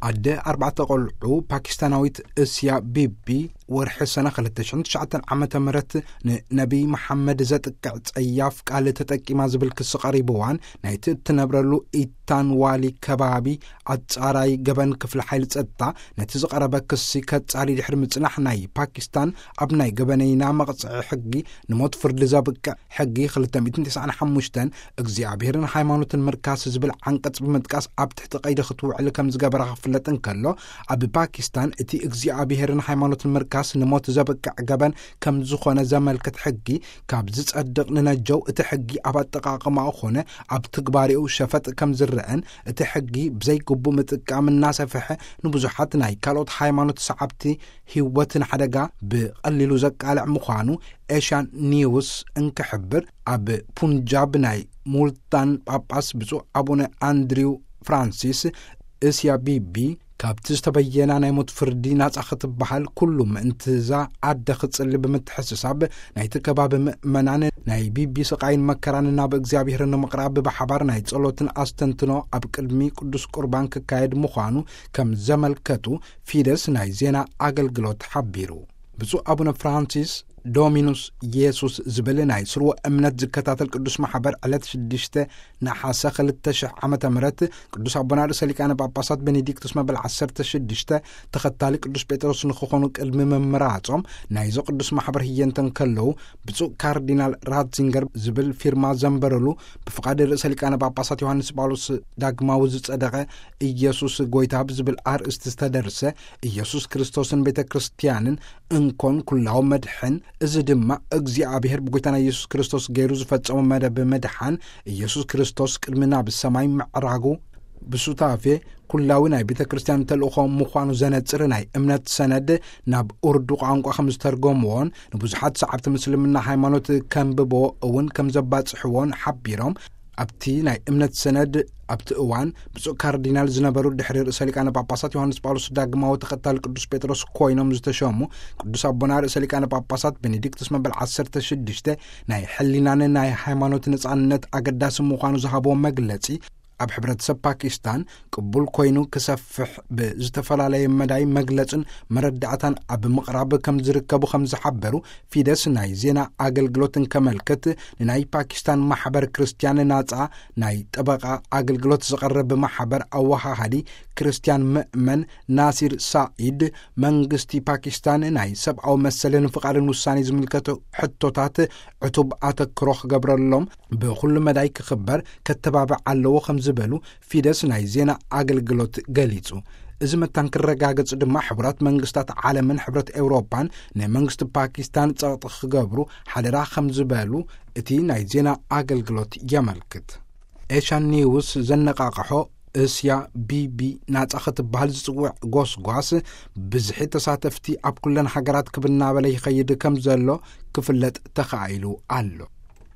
ኣደ ኣርባዕተ ቆልዑ ፓኪስታናዊት እስያ ቢቢ፣ ወርሒ ሰነ ክልተ ሽሕን ትሽዓተን ዓመተ ምህረት ንነቢይ መሓመድ ዘጥቅዕ ጸያፍ ቃል ተጠቂማ ዝብል ክሲ ቀሪብዋን፣ ናይቲ እትነብረሉ ኢታንዋሊ ከባቢ ኣጻራይ ገበን ክፍሊ ሓይሊ ጸጥታ ነቲ ዝቐረበ ክሲ ከጻሪ ድሕሪ ምጽናሕ፣ ናይ ፓኪስታን ኣብ ናይ ገበነይና መቕጽዒ ሕጊ ንሞት ፍርዲ ዘብቅዕ ሕጊ ክልተ ሚእትን ተስዓን ሓሙሽተን እግዚኣብሔርን ሃይማኖትን ምርካስ ዝብል ዓንቀጽ ብምጥቃስ ኣብ ትሕቲ ቀይዲ ክትውዕል ከም ዝገበራ ክፍለጥ እንከሎ፣ ኣብ ፓኪስታን እቲ እግዚኣብሔርን ሃይማኖትን ምርካስ ንሞት ዘብቅዕ ገበን ከም ዝኾነ ዘመልክት ሕጊ ካብ ዝጸድቕ ንነጀው፣ እቲ ሕጊ ኣብ ኣጠቓቕማኡ ኾነ ኣብ ትግባሬኡ ሸፈጥ ከም ዝረአን፣ እቲ ሕጊ ብዘይግቡእ ምጥቃም እናሰፍሐ ንብዙሓት ናይ ካልኦት ሃይማኖት ሰዓብቲ ህይወት ንሓደጋ ብቐሊሉ ዘቃልዕ ምዃኑ ኤሽያን ኒውስ እንክሕብር፣ ኣብ ፑንጃብ ናይ ሙልታን ጳጳስ ብፁዕ ኣቡነ ኣንድሪው ፍራንሲስ፣ እስያ ቢቢ ካብቲ ዝተበየና ናይ ሞት ፍርዲ ናጻ ክትበሃል ኩሉ ምእንትዛ ኣደ ክጽሊ ብምትሕስሳብ፣ ናይቲ ከባቢ ምእመናን ናይ ቢቢ ስቓይን መከራን ናብ እግዚኣብሔር ንምቕራብ ብሓባር ናይ ጸሎትን ኣስተንትኖ ኣብ ቅድሚ ቅዱስ ቁርባን ክካየድ ምዃኑ ከም ዘመልከቱ ፊደስ ናይ ዜና ኣገልግሎት ሓቢሩ። ብፁዕ ኣቡነ ፍራንሲስ ዶሚኑስ ኢየሱስ ዝብል ናይ ስርወ እምነት ዝከታተል ቅዱስ ማሕበር ዕለት ሽዱሽተ ነሓሰ ክልተ ሽሕ ዓመተ ምህረት ቅዱስ ኣቦና ርእሰ ሊቃነ ጳጳሳት ቤኔዲክቱስ መበል ዓሰርተ ሽዱሽተ ተኸታሊ ቅዱስ ጴጥሮስ ንክኾኑ ቅድሚ ምምራጾም፣ ናይዚ ቅዱስ ማሕበር ህየንተ እንከለዉ፣ ብፁዕ ካርዲናል ራትዚንገር ዝብል ፊርማ ዘንበረሉ፣ ብፍቓድ ርእሰ ሊቃነ ጳጳሳት ዮሃንስ ጳውሎስ ዳግማዊ ዝጸደቐ ኢየሱስ ጎይታ ብዝብል ኣርእስቲ ዝተደርሰ ኢየሱስ ክርስቶስን ቤተ ክርስቲያንን እንኮን ኩላዊ መድሕን፣ እዚ ድማ እግዚኣብሔር ብጎይታና ኢየሱስ ክርስቶስ ገይሩ ዝፈጸሞ መደብ ምድሓን፣ ኢየሱስ ክርስቶስ ቅድሚ ናብ ሰማይ ምዕራጉ ብሱታፌ ኩላዊ ናይ ቤተ ክርስቲያን ተልእኾ ምዃኑ ዘነጽር ናይ እምነት ሰነድ ናብ ኡርዱ ቋንቋ ከም ዝተርጎምዎን ንብዙሓት ሰዓብቲ ምስልምና ሃይማኖት ከንብቦ እውን ከም ዘባጽሕዎን ሓቢሮም፣ ኣብቲ ናይ እምነት ሰነድ ኣብቲ እዋን ብፁዕ ካርዲናል ዝነበሩ ድሕሪ ርእሰ ሊቃነ ጳጳሳት ዮሃንስ ጳውሎስ ዳግማዊ ተኸታሊ ቅዱስ ጴጥሮስ ኮይኖም ዝተሸሙ ቅዱስ ኣቦና ርእሰ ሊቃነ ጳጳሳት ቤኔዲክቱስ መበል ዓሰርተ ሽዱሽተ ናይ ሕሊናን ናይ ሃይማኖት ነጻነት ኣገዳሲ ምዃኑ ዝሃብዎ መግለጺ፣ ኣብ ሕብረተሰብ ፓኪስታን ቅቡል ኮይኑ ክሰፍሕ ብዝተፈላለየ መዳይ መግለጽን መረዳእታን ኣብ ምቕራብ ከም ዝርከቡ ከም ዝሓበሩ ፊደስ ናይ ዜና ኣገልግሎት እንከመልክት፣ ንናይ ፓኪስታን ማሕበር ክርስቲያን ናጻ ናይ ጠበቓ ኣገልግሎት ዝቐርብ ማሕበር ኣወሃሃዲ ክርስቲያን ምእመን ናሲር ሳኢድ፣ መንግስቲ ፓኪስታን ናይ ሰብኣዊ መሰልን ፍቓድን ውሳኔ ዝምልከቱ ሕቶታት ዕቱብ ኣተክሮ ክገብረሎም ብኹሉ መዳይ ክኽበር ከተባብዕ ኣለዎ ከም ዝበሉ ፊደስ ናይ ዜና ኣገልግሎት ገሊጹ። እዚ መታን ክረጋገጽ ድማ ሕቡራት መንግስታት ዓለምን ሕብረት ኤውሮጳን ንመንግስቲ ፓኪስታን ጸቕጢ ክገብሩ ሓደራ ከም ዝበሉ እቲ ናይ ዜና ኣገልግሎት የመልክት። ኤሽያን ኒውስ ዘነቓቕሖ፣ እስያ ቢቢ ናጻ ክትበሃል ዝጽውዕ ጎስጓስ ብዝሒ ተሳተፍቲ ኣብ ኩለን ሃገራት ክብ እናበለ ይኸይድ ከም ዘሎ ክፍለጥ ተኻኢሉ ኣሎ።